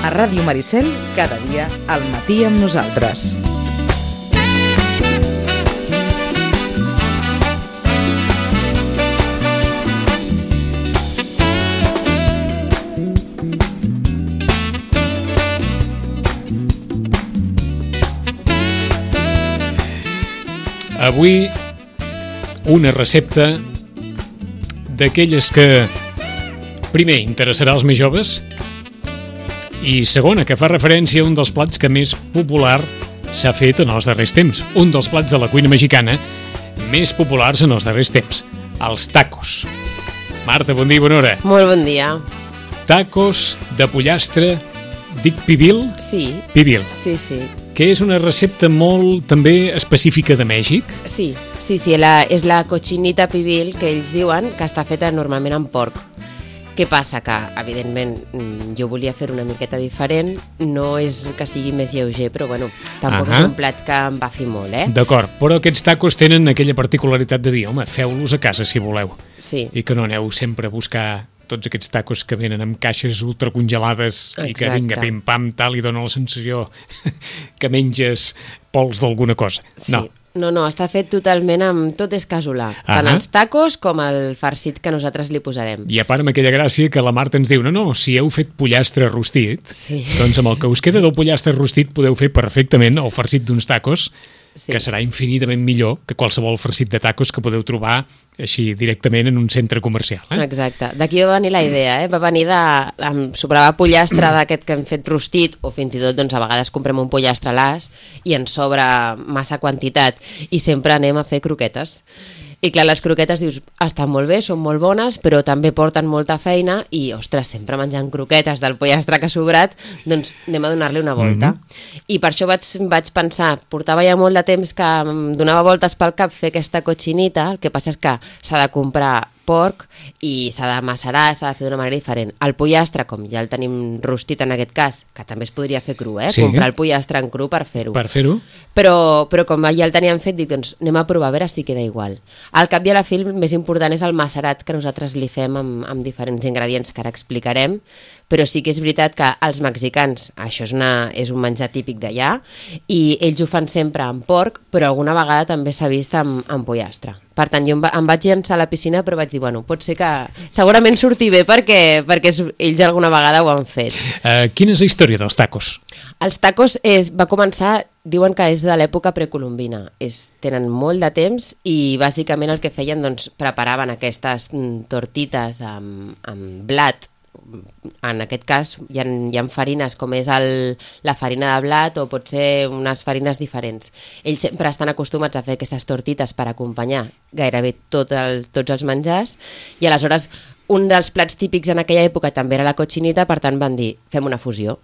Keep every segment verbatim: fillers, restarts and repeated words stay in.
A Ràdio Maricel, cada dia al matí amb nosaltres. Avui una recepta d'aquelles que, primer, interessarà als més joves i, segona, que fa referència a un dels plats que més popular s'ha fet en els darrers temps. Un dels plats de la cuina mexicana més populars en els darrers temps, els tacos. Marta, bon dia i bona hora. Molt bon dia. Tacos de pollastre, dic pibil? Sí. Pibil. Sí, sí. Que és una recepta molt, també, específica de Mèxic. Sí, sí, sí, la, és la cochinita pibil que ells diuen que està feta normalment amb porc. Què passa? Que, evidentment, jo volia fer una miqueta diferent, no és que sigui més lleuger, però bueno, tampoc uh-huh. és un plat que em va fer molt, eh? D'acord, però aquests tacos tenen aquella particularitat de dir, home, feu-los a casa si voleu. Sí. I que no aneu sempre a buscar tots aquests tacos que venen amb caixes ultracongelades. Exacte. I que vinga, pim-pam, tal, i dona la sensació que menges pols d'alguna cosa. Sí. No. No, no, està fet totalment amb... Tot és casolà. Tant uh-huh. els tacos com el farcit que nosaltres li posarem. I a part amb aquella gràcia que la Marta ens diu, no, no, si heu fet pollastre rostit, sí. doncs amb el que us queda del pollastre rostit podeu fer perfectament el farcit d'uns tacos, sí. que serà infinitament millor que qualsevol farcit de tacos que podeu trobar així directament en un centre comercial. Eh? Exacte. D'aquí va venir la idea, eh? Va venir de... Em sobrava pollastre d'aquest que hem fet rostit, o fins i tot, doncs, a vegades comprem un pollastre a l'as i ens sobra massa quantitat i sempre anem a fer croquetes. I clar, les croquetes, dius, estan molt bé, són molt bones, però també porten molta feina i, ostres, sempre menjant croquetes del pollastre que ha sobrat, doncs anem a donar-li una volta. Mm-hmm. I per això vaig, vaig pensar, portava ja molt de temps que em donava voltes pel cap fer aquesta cochinita, el que passa és que s'ha de comprar porc i s'ha de macerar, s'ha de fer d'una manera diferent. El pollastre, com ja el tenim rostit en aquest cas, que també es podria fer cru, eh? Sí. Comprar el pollastre en cru per fer-ho. Per fer-ho. Però, però com ja el teníem fet, dic, doncs anem a provar a veure si queda igual. Al cap i a la fi, el més important és el macerat que nosaltres li fem amb, amb diferents ingredients que ara explicarem, però sí que és veritat que els mexicans, això és, una, és un menjar típic d'allà, i ells ho fan sempre amb porc, però alguna vegada també s'ha vist amb, amb pollastre. Per tant, jo em, va, em vaig llançar a la piscina, però vaig dir, bueno, pot ser que segurament surti bé perquè, perquè ells alguna vegada ho han fet. Uh, quina és la història dels tacos? Els tacos és, va començar, diuen que és de l'època precolombina. És, tenen molt de temps i bàsicament el que feien, doncs, preparaven aquestes mm, tortites amb, amb blat. En aquest cas hi ha, hi ha farines com és el, la farina de blat o pot ser unes farines diferents. Ells sempre estan acostumats a fer aquestes tortites per acompanyar gairebé tot el, tots els menjars i aleshores un dels plats típics en aquella època també era la cochinita, per tant van dir fem una fusió.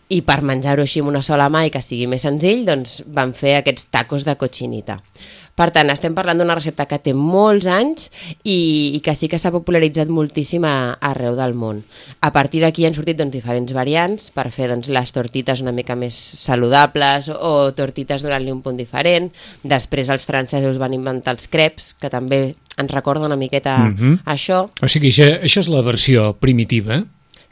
I per menjar-ho així amb una sola mà i que sigui més senzill, doncs van fer aquests tacos de cochinita. Per tant, estem parlant d'una recepta que té molts anys i, i que sí que s'ha popularitzat moltíssim a, arreu del món. A partir d'aquí han sortit doncs, diferents variants per fer doncs, les tortites una mica més saludables o tortites donant-li un punt diferent. Després els francesos van inventar els crepes, que també ens recorda una miqueta mm-hmm. això. O sigui, això, això és la versió primitiva,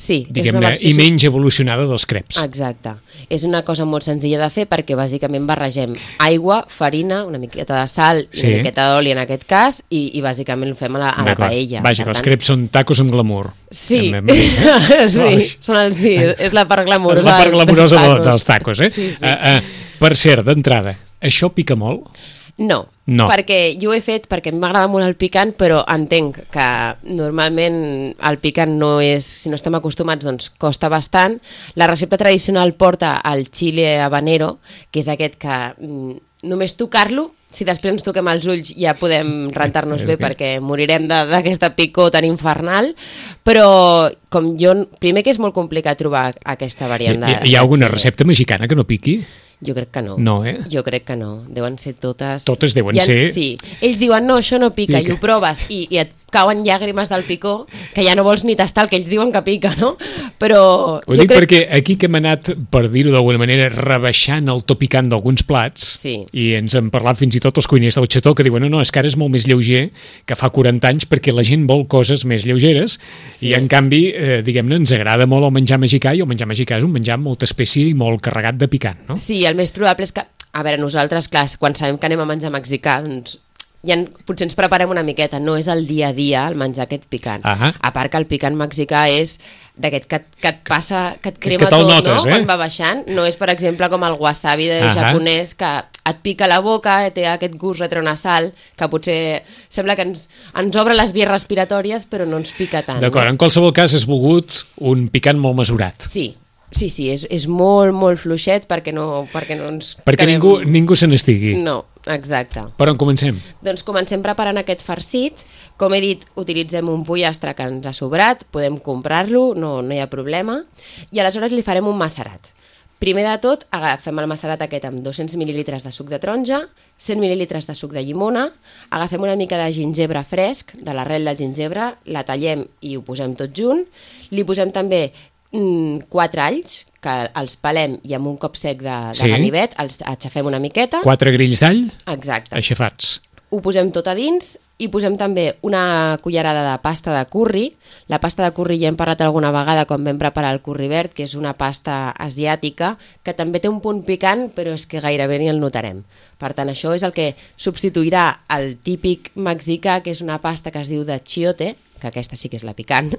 sí, diguem-ne, versió... i menys evolucionada dels crepes. Exacte. És una cosa molt senzilla de fer perquè bàsicament barregem aigua, farina, una miqueta de sal i sí. una miqueta d'oli en aquest cas i, i bàsicament ho fem a la, a la paella. Vaja, que els crepes són tacos amb glamour. Sí, amb, amb... sí, són el, sí, és la part glamurosa, la part glamurosa dels tacos, dels tacos eh? Sí, sí. Uh, uh, per cert, d'entrada, això pica molt? No, no, perquè jo ho he fet perquè m'agrada molt el picant, però entenc que normalment el picant no és, si no estem acostumats, doncs costa bastant. La recepta tradicional porta el chile habanero, que és aquest que mm, només tocar-lo, si després ens toquem els ulls ja podem rentar-nos bé perquè morirem d'aquesta picor tan infernal, però com jo, primer que és molt complicat trobar aquesta variant de... Hi, hi ha alguna recepta mexicana que no piqui? Jo crec que no. No, eh? Jo crec que no. Deuen ser totes... Totes deuen ha, ser... Sí. Ells diuen, no, això no pica, Pica. i ho proves, i, i et cauen llàgrimes del picor, que ja no vols ni tastar el que ells diuen que pica, no? Però... Ho dic crec... perquè aquí que hem anat, per dir-ho d'alguna manera, rebaixant el to picant d'alguns plats, Sí. i ens han parlat fins i tot els cuiners del xató, que diuen, no, no, és que ara és molt més lleuger que fa quaranta anys, perquè la gent vol coses més lleugeres, Sí. i en canvi, eh, diguem-ne, ens agrada molt el menjar mexicà, i el menjar mexicà és un menjar amb molta espècie i molt carregat de picant, no? Sí, el més probable és que... A veure, nosaltres, clar, quan sabem que anem a menjar mexicà, doncs ja en, potser ens preparem una miqueta, no és el dia a dia el menjar aquest picant. Ahà. A part que el picant mexicà és d'aquest que, que et passa, que et crema Que te'l tot, notes, no? eh? Quan va baixant. No és, per exemple, com el wasabi de Ahà. japonès, que et pica la boca, té aquest gust retronasal, que potser sembla que ens, ens obre les vies respiratòries, però no ens pica tant. D'acord, no? en qualsevol cas has volgut un picant molt mesurat. Sí, sí, sí, és, és molt, molt fluixet perquè no, perquè no ens... Perquè quedem- ningú, ningú se n'estigui. No, exacte. Per on comencem? Doncs comencem preparant aquest farcit. Com he dit, utilitzem un pollastre que ens ha sobrat, podem comprar-lo, no, no hi ha problema, i aleshores li farem un macerat. Primer de tot, agafem el macerat aquest amb dos-cents mil·lilitres de suc de taronja, cent mil·lilitres de suc de llimona, agafem una mica de gingebre fresc, de l'arrel del gingebre, la tallem i ho posem tot junt, li posem també mm, quatre alls, que els pelem i amb un cop sec de, de Sí. ganivet els aixafem una miqueta. Quatre grills d'all Exacte. aixafats. Ho posem tot a dins i posem també una cullerada de pasta de curri. La pasta de curri ja hem parlat alguna vegada quan vam preparar el curri verd, que és una pasta asiàtica que també té un punt picant, però és que gairebé ni el notarem. Per tant, això és el que substituirà el típic mexicà, que és una pasta que es diu de chiote, que aquesta sí que és la picant,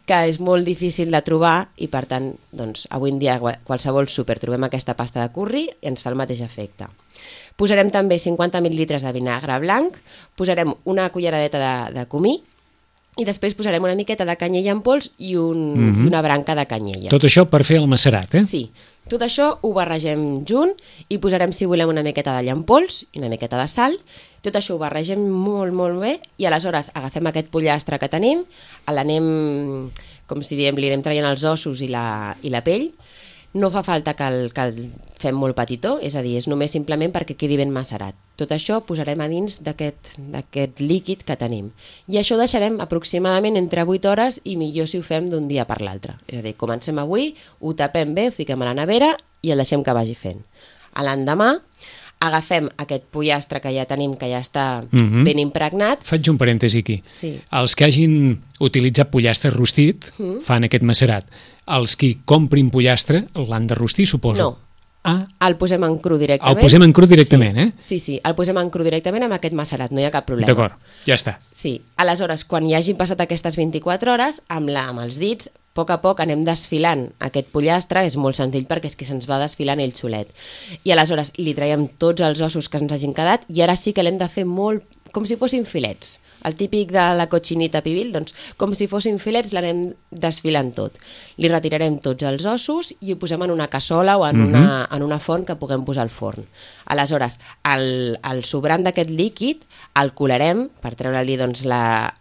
que és molt difícil de trobar i, per tant, doncs, avui en dia a qualsevol súper trobem aquesta pasta de curri i ens fa el mateix efecte. Posarem també cinquanta mil·lilitres de vinagre blanc, posarem una culleradeta de, de comí i després posarem una miqueta de canyella en pols i, un, Mhm. i una branca de canyella. Tot això per fer el macerat, eh? Sí, tot això ho barregem junt i posarem, si volem, una miqueta d'all en pols i una miqueta de sal. Tot això ho barregem molt, molt bé i aleshores agafem aquest pollastre que tenim, l'anem, com si diem, li anem traient els ossos i la, i la pell. No fa falta que el, que el fem molt petitó, és a dir, és només simplement perquè quedi ben macerat. Tot això posarem a dins d'aquest d'aquest líquid que tenim. I això ho deixarem aproximadament entre vuit hores i millor si ho fem d'un dia per l'altre. És a dir, comencem avui, ho tapem bé, ho fiquem a la nevera i el deixem que vagi fent. A l'endemà agafem aquest pollastre que ja tenim, que ja està Mhm. ben impregnat. Faig un parèntesi aquí. Sí. Els que hagin utilitzat pollastre rostit Mm. fan aquest macerat. Els qui comprin pollastre l'han de rostir, suposo. No. Ah, El posem en cru directament. El posem en cru directament, sí. eh? Sí, sí, el posem en cru directament amb aquest macerat, no hi ha cap problema. d'acord, ja està. Sí, aleshores, quan hi hagin passat aquestes vint-i-quatre hores, amb, la, amb els dits, a poc a poc anem desfilant aquest pollastre, és molt senzill perquè és que se'ns va desfilant ell solet. I aleshores li traiem tots els ossos que ens hagin quedat i ara sí que l'hem de fer molt, com si fossin filets. El típic de la cochinita pibil, doncs com si fossin filets l'anem desfilant tot. Li retirarem tots els ossos i ho posem en una cassola o en, Mhm. una, en una font que puguem posar al forn. Aleshores, el, el sobrant d'aquest líquid el colarem per treure-li doncs, la,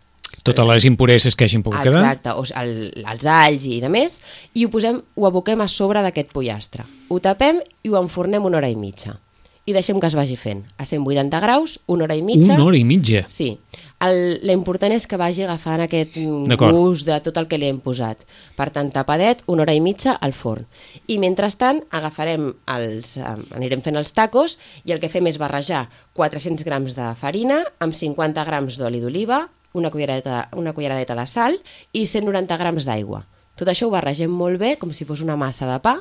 Totes les impureses que hagin pogut quedar. exacte, o el, els alls i de més, i ho posem, ho aboquem a sobre d'aquest pollastre. Ho tapem i ho enfornem una hora i mitja. I deixem que es vagi fent. A cent vuitanta graus, una hora i mitja. Una hora i mitja. Sí. El, l'important és que vagi agafant aquest mm, D'acord. gust de tot el que li hem posat. Per tant, tapadet, una hora i mitja al forn. I mentrestant agafarem els, eh, anirem fent els tacos i el que fem és barrejar quatre-cents grams de farina amb cinquanta grams d'oli d'oliva, una culleradeta, una culleradeta de sal i cent noranta grams d'aigua. Tot això ho barregem molt bé, com si fos una massa de pa.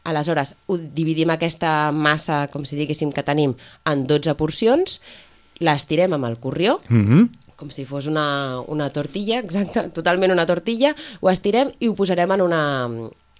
Aleshores, ho dividim aquesta massa, com si diguéssim que tenim, en dotze porcions, l'estirem amb el corrió, Mhm. com si fos una, una tortilla, exacte, totalment una tortilla, ho estirem i ho posarem en una,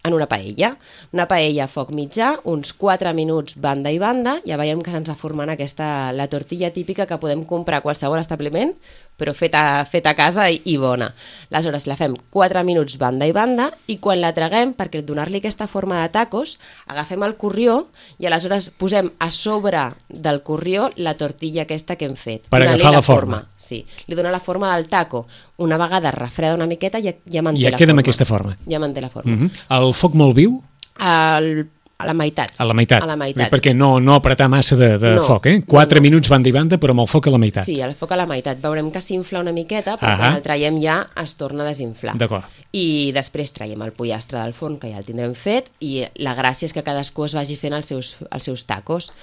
en una paella. Una paella a foc mitjà, uns quatre minuts banda i banda, ja veiem que se'ns va formant aquesta, la tortilla típica que podem comprar a qualsevol establiment, però feta, feta a casa i, i bona. Aleshores, la fem quatre minuts banda i banda i quan la traguem, perquè donar-li aquesta forma de tacos, agafem el corrió i aleshores posem a sobre del corrió la tortilla aquesta que hem fet. Per donant-li agafar la forma. Sí, li dona la forma del taco. Una vegada refreda una miqueta ja, ja manté Ja la queda forma. amb aquesta forma. Ja manté la forma. Mhm. El foc molt viu? El, A la meitat. A la meitat. A la meitat. Perquè no, no apretar massa de, de no, foc, eh? Quatre no, no. minuts banda i banda, però amb el foc a la meitat. Sí, el foc a la meitat. Veurem que s'infla una miqueta, però Ahà. quan el traiem ja es torna a desinflar. D'acord. I després traiem el pollastre del forn, que ja el tindrem fet, i la gràcia és que cadascú es vagi fent els seus, els seus tacos.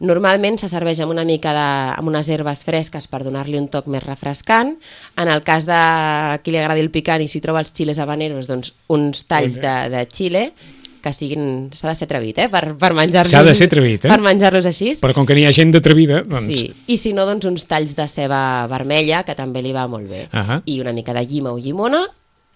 Normalment se serveix amb una mica de, amb unes herbes fresques per donar-li un toc més refrescant. En el cas de qui li agradi el picant i si troba els chiles habaneros, doncs uns talls de, de xile, que siguin... S'ha de ser atrevit, eh? Per, per menjar-los... S'ha de ser atrevit, eh? Per menjar-los així. Però com que n'hi ha gent d'atrevida, doncs... Sí, i si no, doncs uns talls de ceba vermella, que també li va molt bé. Ahà. I una mica de llima o llimona,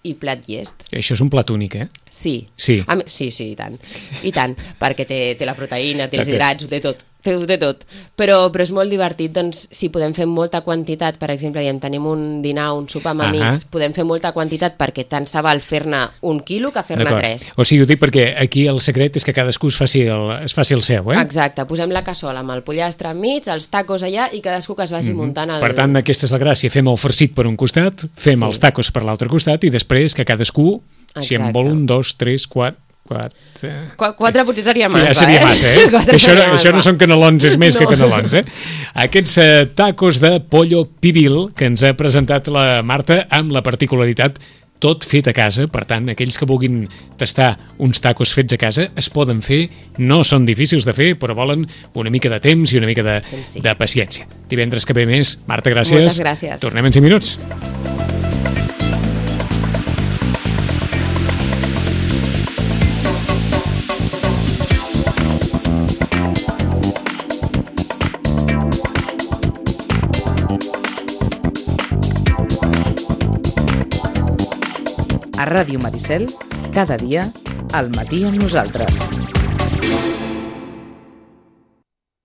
i plat llest. Això és un plat únic, eh? Sí. Sí. A mi, sí, sí, i tant. I tant, perquè té, té la proteïna, té els Té. hidrats, ho té tot. Té, ho té tot. Però, però és molt divertit, doncs, si podem fer molta quantitat, per exemple, diem, tenim un dinar, un sopar amb Ahà. amics, podem fer molta quantitat perquè tant se val fer-ne un quilo que fer-ne D'acord. tres. O sigui, ho dic perquè aquí el secret és que cadascú es faci el, es faci el seu, eh? Exacte, posem la cassola amb el pollastre enmig, els tacos allà i cadascú que es vagi Mhm. muntant el... Per tant, aquesta és la gràcia. Fem el farcit per un costat, fem Sí. els tacos per l'altre costat i després que cadascú, si en Exacte. vol un, dos, tres, quatre... quatre... Qu quatre potser seria massa, ja seria eh? massa, eh? Quatre Que això, seria això no massa. són canelons, és més No. que canelons, eh? Aquests eh, tacos de pollo pibil que ens ha presentat la Marta amb la particularitat tot fet a casa, per tant, aquells que vulguin tastar uns tacos fets a casa es poden fer, no són difícils de fer, però volen una mica de temps i una mica de, Sí. de paciència. Divendres que ve més. Marta, gràcies. Moltes gràcies. Tornem en cinc minuts. A Ràdio Maricel, cada dia, al matí amb nosaltres.